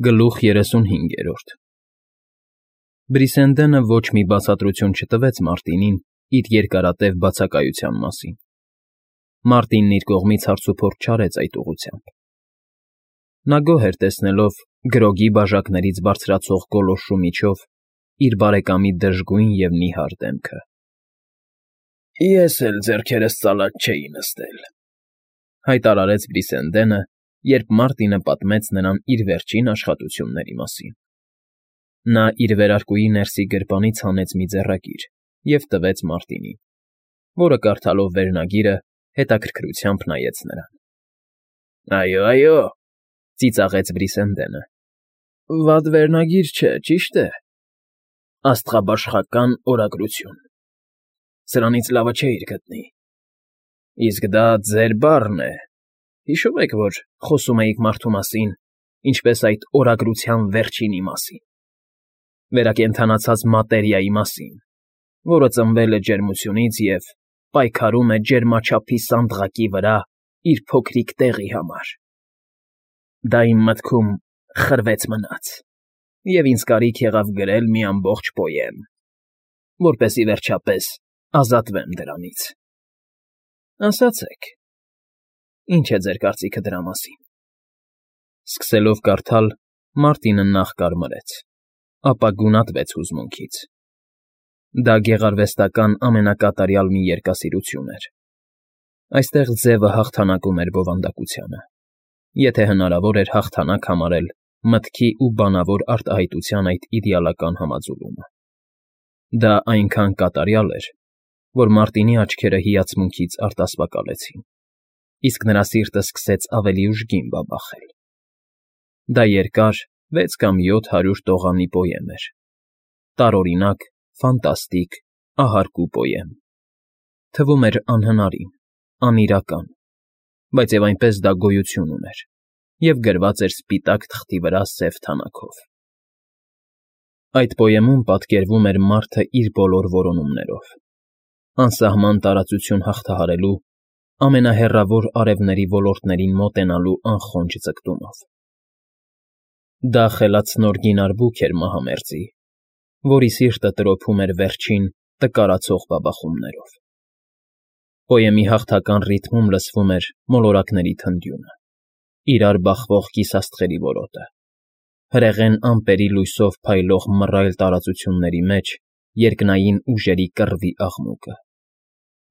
Գլուխ 35 Բրիսենդենը ոչ մի բացատրություն չտվեց Մարտինին իր երկարատև բացակայության մասին։ Մարտինն իր կողմից հարցուփորձ չարեց այդ ուղղությամբ։ Նա գոհ էր տեսնելով գրոգի բաժակներից բարձրացող գոլորշու միջով իր բարեկամի դժգույն և նիհար դեմքը։ «Ես էլ ձեռքերս ծալած չէի նստել», հայտարարեց Բրիսենդենը, երբ Մարտինը պատմեց նրան իր վերջին աշխատությունների մասին։ Նա իր վերարկուի ներսի գրպանից հանեց մի ձեռագիր և տվեց Մարտինին, որը կարդալով վերնագիրը հետաքրքրությամբ նայեց նրան։ «Այո, ծիծաղեց Բրիսենդենը, վատ վերնագիր չէ, ճիշտ է, աստղաբաշխական օրագրություն, սրանից լավը չէիր գտնի։ Իսկ դա ձեր բառն է, հիշո՞ւմ եք, որ խոսում էիք մարդու մասին, ինչպես այդ օրագրության վերջինի մասին, վերակենդանացած մատերիայի մասին, որը ծնվել է ջերմությունից և պայքարում է ջերմաչափի սանդղակի վրա իր փոքրիկ տեղի համար։ Դա իմ մտքում խրվեց մնաց, և ինձ կարիք եղավ գրել մի ամբողջ պոեմ, որպեսզի վերջապես ազատվեմ դրանից։ Ասացեք, ի՞նչ է ձեր կարծիքը դրա մասին»։ Սկսելով կարդալ, Մարտինը նախ կարմրեց, ապա գունատվեց հուզմունքից։ Դա գեղարվեստական ամենակատարյալ մի երգասիրություն էր։ Այստեղ ձևը հաղթանակում էր բովանդակությանը, եթե հնարավոր էր հաղթանակ համարել մտքի ու բանավոր արտահայտության այդ իդեալական համաձուլումը։ Դա այնքան կատարյալ էր, որ Մարտինի աչքերը հիացմունքից արտասվակալեցին, իսկ նրա սիրտը սկսեց ավելի ուժգին բաբախել։ Դա երկար 6 կամ 700 տողանի պոեմ էր, տարօրինակ, ֆանտաստիկ, ահարկու պոեմ։ Թվում էր անհնարին, անիրական, բայց և այնպես դա գոյություն ուներ և գրված էր սպիտակ թղթի վրա սև թանաքով։ Այդ պոեմում պատկերվում էր մարդը իր բոլոր որոնումներով, անսահման տարածություն հաղթահարելու, ամենահեռավոր արևների ոլորտներին մոտենալու անխոնջ ձգտումով։ Դա խելացնոր բուք էր մահամերձի, որի սիրտը տրոփում էր վերջին տկարացող բաբախումներով։ Պոեմի հաղթական ռիթմում լսվում էր մոլորակների թնդյունը, իրար բախվող կիսաստղերի որոտը, հրեղեն ամպերի լույսով փայլող մռայլ տարածությունների մեջ երկնային ուժերի կռվի աղմուկը,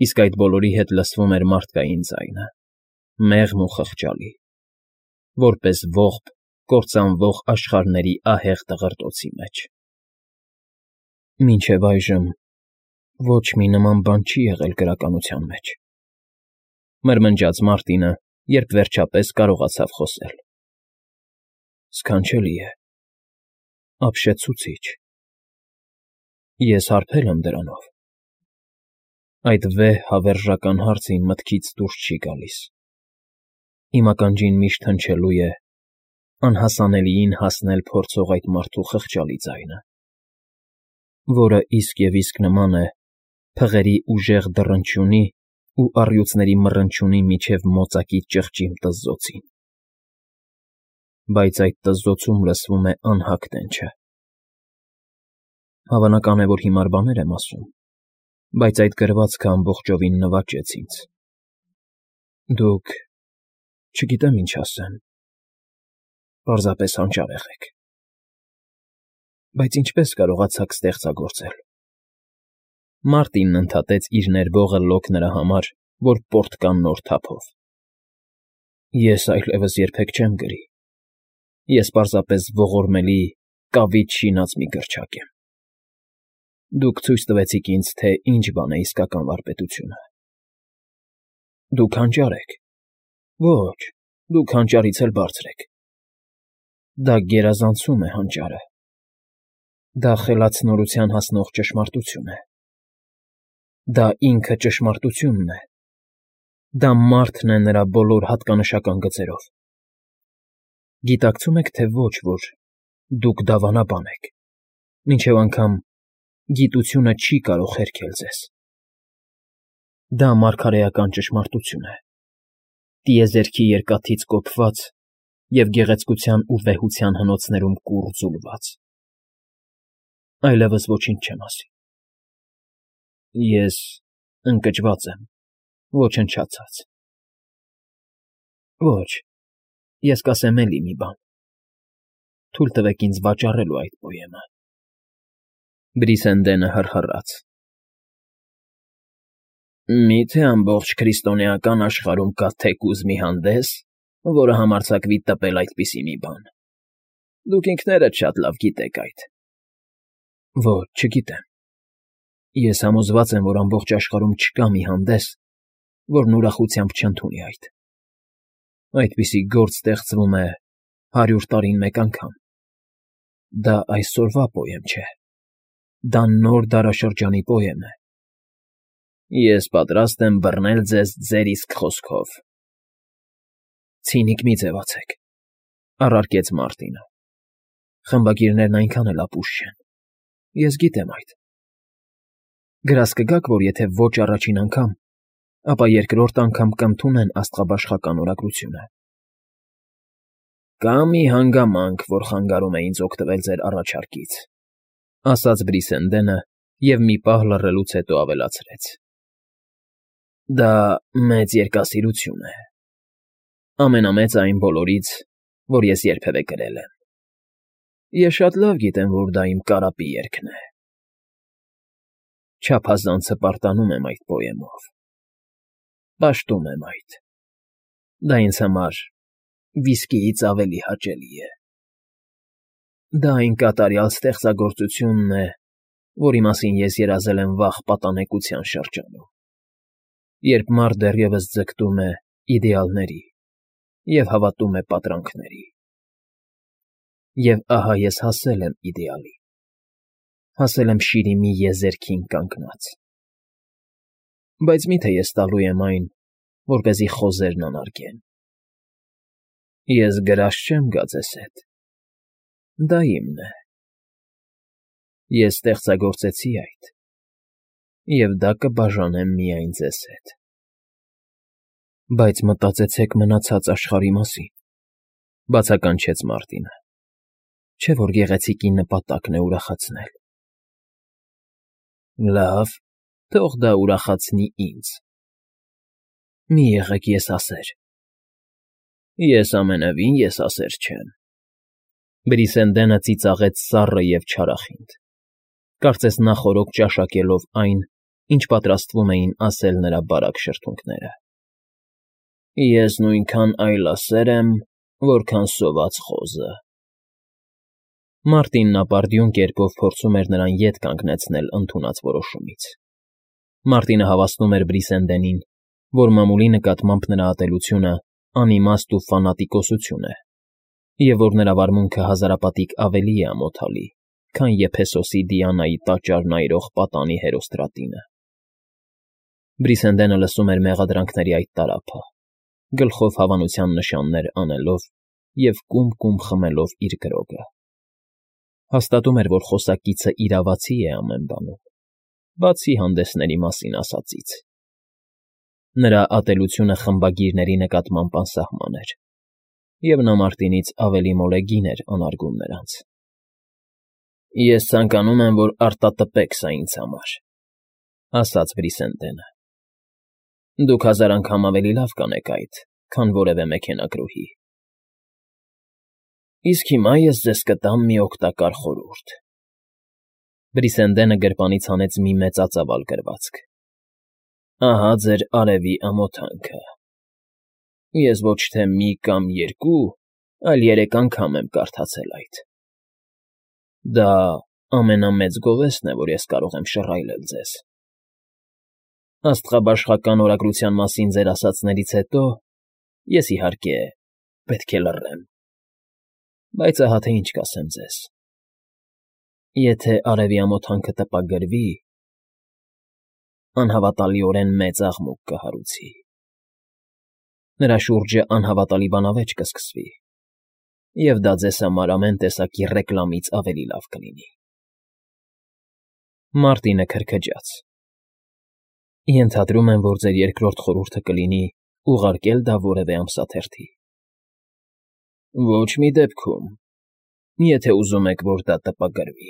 իսկ այդ բոլորի հետ լսվում էր մարդկային ձայնը, մեղմ ու խղճալի, որպես ողբ կործանվող աշխարհների ահեղ դղրդոցի մեջ։ «Մինչև այժմ ոչ մի նման բան չի եղել գրականության մեջ», մրմնջաց Մարտինը, երբ վերջապես կարողացավ խոսել։ «Սքանչելի է, ապշեցուցիչ։ Ես հարբել եմ դրանով։ Այդ վեհ հավերժական հարցը իմ մտքից դուրս չի գալիս։ Իմ ականջին միշտ հնչելու է անհասանելիին հասնել փորձող այդ մարդու խղճալի ձայնը, որը իսկ և իսկ նման է փղերի ուժեղ դռնչյունի ու առյուծների մռնչյունի միջև մոծակի ճղճիմ տզզոցին։ Բայց այդ տզզոցում լսվում է անհագ տենչը։ Հավանական է, որ հիմար բաներ եմ ասում, բայց այդ գրվածքը ամբողջովին նվաճեց ինձ։ Դուք… չգիտեմ ինչ ասեմ, պարզապես հանճար եղեք։ Բայց ինչպե՞ս կարողացաք ստեղծագործել»։ Մարտինն ընդհատեց իր ներբողը լոկ նրա համար, որ պորտկան նոր թափով։ «Ես այլևս երբեք չեմ գրի։ Ես պարզապես ողորմելի, կավիճ շինած մի գրչակ եմ։ Դուք ցույց տվեցիք ինձ, թե ինչ բան է իսկական վարպետությունը։ Դուք հանճար եք։ Ոչ, դուք հանճարից էլ բարձր եք։ Դա գերազանցում է հանճարը։ Դա խելացնորության հասնող ճշմարտություն է։ Դա ինքը ճշմարտությունն է։ Դա մարդն է նրա բոլոր հատկանշական գծերով։ Գիտակցում եք, թե ոչ, որ դուք դավանաբան եք, մինչև անգամ գիտությունը չի կարող հերքել ձեզ։ Դա մարգարեական ճշմարտություն է, տիեզերքի երկաթից կոփված և գեղեցկության ու վեհության հնոցներում կուռ ձուլված։ Այլևս ոչինչ չեմ ասի։ Ես ընկճված եմ, ոչնչացած։ Ոչ, ես կասեմ էլի մի բան. թույլ տվեք ինձ վաճառելու այդ պոեմը։ Բրիսենդենը հռհռաց։ Մի՞թե ամբողջ քրիստոնեական աշխարհում կա թեկուզ մի հանդես, որը համարձակվի տպել այդպիսի մի բան։ Դուք ինքներդ շատ լավ գիտեք այդ։ Ոչ, չգիտեմ։ Ես համոզված եմ, որ ամբողջ աշխարհում չկա մի հանդես, որն ուրախությամբ չընդունի այդ։ Այդպիսի գործ ստեղծվում է 100 տարին մեկ անգամ։ Դա այսօրվա պոեմ չէ։ Դա նոր դարաշրջանի պոեմ է։ Ես պատրաստ եմ բռնել ձեզ ձեր իսկ խոսքով։ Ցինիկ մի ձևացեք, առարկեց Մարտինը։ Խմբագիրներն այնքան էլ ապուշ չեն։ Ես գիտեմ այդ։ Գրազ կգաք, որ եթե ոչ առաջին անգամ, ապա երկրորդ անգամ կընդունեն աստղաբաշխական օրագրությունը։ Կա մի հանգամանք, որ խանգարում է ինձ օգտվել ձեր առաջարկից, ասաց Բրիսենդենը և մի պահ լռելուց հետո ավելացրեց. Դա մեծ երկասիրություն է, ամենամեծը այն բոլորից, որ ես երբևէ գրել եմ։ Ես շատ լավ գիտեմ, որ դա իմ կարապի երգն է։ Չափազանցը պարտանում եմ այդ պոեմով։ Պաշտում եմ այդ։ Դա ինձ համար վիսկիից ավելի հաճելի է։ Դա այն կատարյալ ստեղծագործությունն է, որի մասին ես երազել եմ վաղ պատանեկության շրջանում, երբ մարդ դեռևս ձգտում է իդեալների և հավատում է պատրանքների։ Եվ ահա ես հասել եմ իդեալի, հասել եմ շիրիմի եզերքին կանգնած։ Բայց մի՞թե ես տալու եմ այն, որպեսզի խոզերն անարգեն։ Ես գրած չեմ գա ձեզ հետ։ Դա իմն է։ Ես ստեղծագործեցի այդ, և դա կբաժանեմ միայն ձեզ հետ։ Բայց մտածեցեք մնացած աշխարհի մասին, բացականչեց Մարտինը։ Չէ՞ որ գեղեցիկի նպատակն է ուրախացնել։ Լավ, թող դա ուրախացնի ինձ։ Մի եղեք եսասեր։ Ես ամենևին եսասեր չեմ։ Բրիսենդենը ծիծաղեց սառը և չարախինդ, կարծես նախօրոք ճաշակելով այն, ինչ պատրաստվում էին ասել նրա բարակ շրթունքները։ Ես նույնքան այլասեր եմ, որքան սոված խոզը։ Մարտինն ապարդյուն կերպով փորձում էր նրան ետ կանգնեցնել ընդունած որոշումից։ Մարտինը հավաստում էր Բրիսենդենին, որ մամուլի նկատմամբ նրա ատելությունը անիմաստ ու ֆանատիկոսություն է, և որ նրա վարմունքը հազարապատիկ ավելի է ամոթալի, քան Եփեսոսի Դիանայի տաճար նայրող պատանի հերոստրատինը։ Բրիսենդենը լսում էր մեղադրանքների այդ տարափը, գլխով հավանության նշաններ անելով և կում-կում խմելով իր գրոգը։ Հաստատում էր, որ խոսակիցը իրավացի է ամեն բանում, բացի հանդեսների մասին ասածից։ Նրա ատելությունը խմբագիրների նկատմամբ անսահման էր, և նա Մարտինից ավելի մոլեգին էր անարգում նրանց։ Ես ցանկանում եմ, որ արտատպեք սա ինձ համար, ասաց Բրիսենդենը։ Դուք 1000 անգամ ավելի լավ կանեք այդ, քան որևէ մեքենագրուհի։ Իսկ հիմա ես ձեզ կտամ մի օգտակար խորհուրդ։ Բրիսենդենը գրպանից հանեց մի մեծածավալ գրվածք։ Ահա ձեր արևի ամոթանքը։ Ես ոչ թե մի կամ երկու, այլ 3 անգամ եմ կարդացել այդ։ Դա ամենամեծ գովեստն է, որ ես կարող եմ շռայլել ձեզ։ Աստղաբաշխական օրագրության մասին ձեր ասածներից հետո ես, իհարկե, պետք է լռեմ։ Բայց ահա թե ինչ կասեմ ձեզ. եթե արևի ամոթանքը տպագրվի, անհավատալիորեն մեծ աղմուկ կհարուցի։ Նրա շուրջը անհավատալի բանավեճ կսկսվի, և դա ձեզ համար ամեն տեսակի ռեկլամից ավելի լավ կլինի։ Մարտինը քրքջաց։ Ենթադրում եմ, որ ձեր երկրորդ խորհուրդը կլինի ուղարկել դա որևէ ամսաթերթի։ Ոչ մի դեպքում, եթե ուզում եք, որ դա տպագրվի,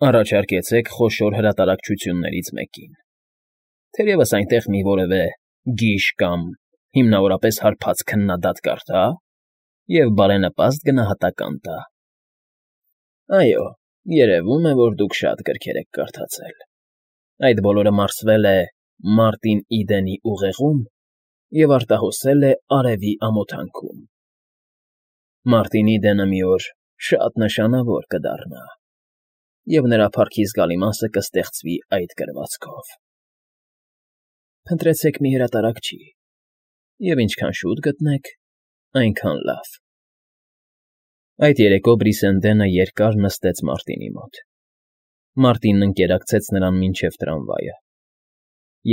առաջարկեցեք խոշոր հրատարակչություններից մեկին, թերևս այնտեղ մի որևէ գիժ կամ հիմնավորապես հարբած քննադատ կարդա և բարենպաստ գնահատական տա։ Այո, երևում է, որ դուք շատ գրքեր եք կարդացել։ Այդ բոլորը մարսվել է Մարտին Իդենի ուղեղում և արտահոսել է արևի ամոթանքում։ Մարտին Իդենը մի օր շատ նշանավոր կդառնա, և նրա փառքի զգալի մասը կստեղծվի այդ գրվածքով։ Փնտրեցեք մի հրատարակչի, և ինչքան շուտ գտնեք, այնքան լավ։ Այդ երեկո Բրիսենդենը երկար նստեց Մարտինի մոտ։ Մարտինն ընկերակցեց նրան մինչև տրամվայը,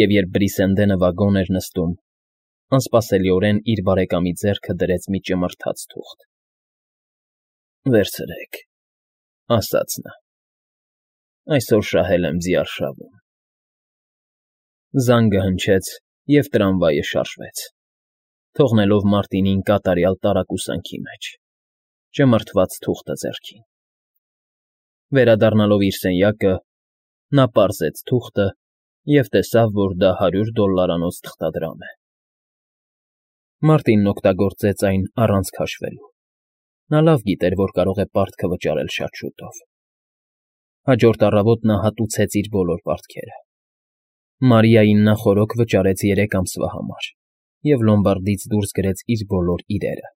և երբ Բրիսենդենը վագոն էր նստում, անսպասելիորեն իր բարեկամի ձեռքը դրեց մի ճմրթաց թուղթ։ Վերցրեք, ասաց նա, այսօր շահել եմ ձիարշավում։ Զանգը հնչեց, և տրամվայը շարժվեց, թողնելով Մարտինին կատարյալ տարակուսանքի մեջ, ճմրթված թուղթը ձեռքին։ Վերադառնալով իր սենյակը, նա պարզեց թուղթը և տեսավ, որ դա $100 թղթադրամ է։ Մարտինն օգտագործեց այն առանց քաշվելու։ Նա լավ գիտեր, որ կարող է պարտքը վճարել շատ շուտով։ Հաջորդ առավոտ նա հատուցեց իր բոլոր պարտքերը։ Մարիային նա խորոք վճարեց 3 ամսվա համար և լոմբարդից դուրս գրեց իր բոլոր իրերը։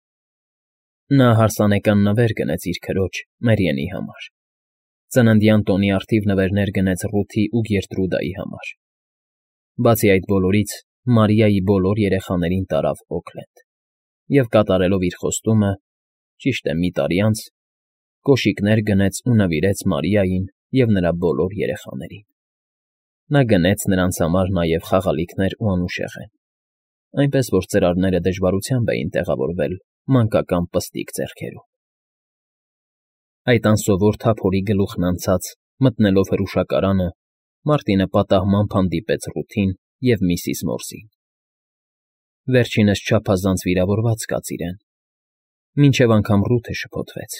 Նա հարսանեկան նվեր գնեց իր քրոջ՝ Մերիենի համար։ Ծննդյան տոնի առթիվ նվերներ գնեց Ռութի ու Գերտրուդայի համար։ Բացի այդ բոլորից, Մարիայի բոլոր երեխաներին տարավ Օքլենդ և կատարելով իր խոստումը, ճիշտ է, մի տարի անց, կոշիկներ գնեց ու նվիրեց Մարիային և նրա բոլոր երեխաներին։ Նա գնեց նրանց համար նաև խաղալիքներ ու անուշեղեն, այնպես որ ծրարները դժվարությամբ էին տեղավորվել մանկական պստիկ ձեռքերում։ Այդ անսովոր թափորի գլուխն անցած, մտնելով հրուշակարանը, Մարտինը պատահմամբ հանդիպեց Ռութին և միսիս Մորսին։ Վերջինս չափազանց վիրավորված կաց իրեն, մինչև անգամ Ռութը շփոթվեց։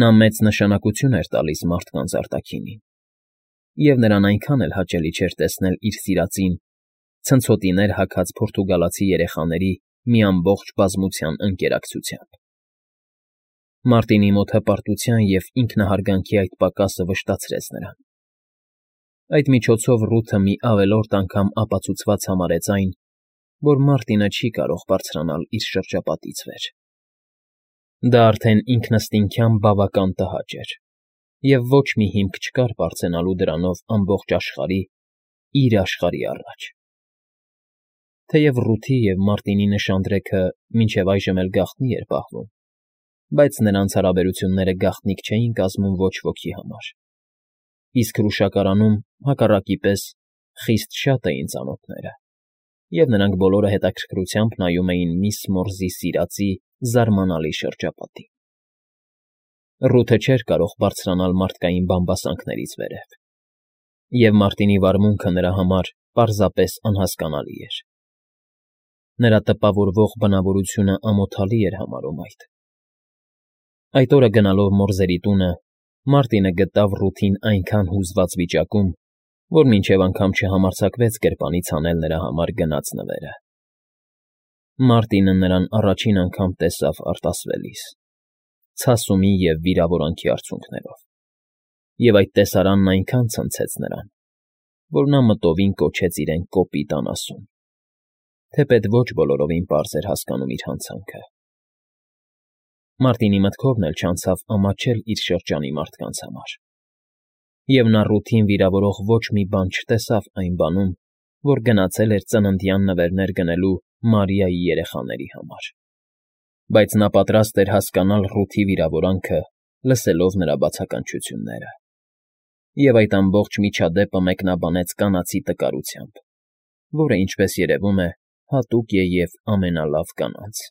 Նա մեծ նշանակություն էր տալիս մարդկանց արտաքինին, և նրան այնքան էլ հաճելի չէր տեսնել իր սիրածին ցնցոտիներ հագած պորտուգալացի երեխաների մի ամբողջ բազմության ընկերակցությամբ։ Մարտինի մոտ հպարտության և ինքնահարգանքի այդ պակասը վշտացրեց նրան։ Այդ միջոցով Ռութը մի ավելորդ անգամ ապացուցված համարեց այն, որ Մարտինը չի կարող բարձրանալ իր շրջապատից վեր։ Դա արդեն ինքնըստինքյան բավական տհաճ էր, և ոչ մի հիմք չկար բարձրանալու դրանով ամբողջ աշխարհի, իր աշխարհի առաջ։ Թեև Ռութի և Մարտինի նշանдрեքը մինչև այժմ էլ գաղտնի էր պահվում, բայց նրանց հարաբերությունները գաղտնիք չէին կազմում ոչ ոքի համար, իսկ հրուշակարանում, հակառակի պես, խիստ շատ էին ծանոթները, և նրանք բոլորը հետաքրքրությամբ նայում էին միս Մորզի սիրածի զարմանալի շրջապատին։ Ռութը չէր կարող բարձրանալ մարդկային բամբասանքներից վերև, և Մարտինի վարմունքը նրա համար պարզապես անհասկանալի էր։ Նրա տպավորվող բնավորությունը ամոթալի էր համարում այդ։ Այդ օրը գնալով Մորզերի տունը, Մարտինը գտավ Ռութին այնքան հուզված վիճակում, որ մինչև անգամ չհամարձակվեց գրպանից հանել նրա համար գնած նվերը։ Մարտինը նրան առաջին անգամ տեսավ արտասվելիս, ցասումի և վիրավորանքի արցունքներով, և այդ տեսարանն այնքան ցնցեց նրան, որ նա մտովին կոչեց իրեն կոպիտ անասուն, թեպետ ոչ բոլորովին պարզ էր հասկանում իր հանցանքը։ Մարտինի մտքովն էլ չանցավ ամաչել իր շրջանի մարդկանց համար, և նա Ռութին վիրավորող ոչ մի բան չտեսավ այն բանում, որ գնացել էր ծննդյան նվերներ գնելու Մարիայի երեխաների համար, բայց նա պատրաստ էր հասկանալ Ռութի վիրավորանքը, լսելով նրա բացականչությունները, և այդ ամբողջ միջադեպը մեկնաբանեց կանացի տկարությամբ, որը, ինչպես երևում է, հատուկ է և ամենալավ կանանց։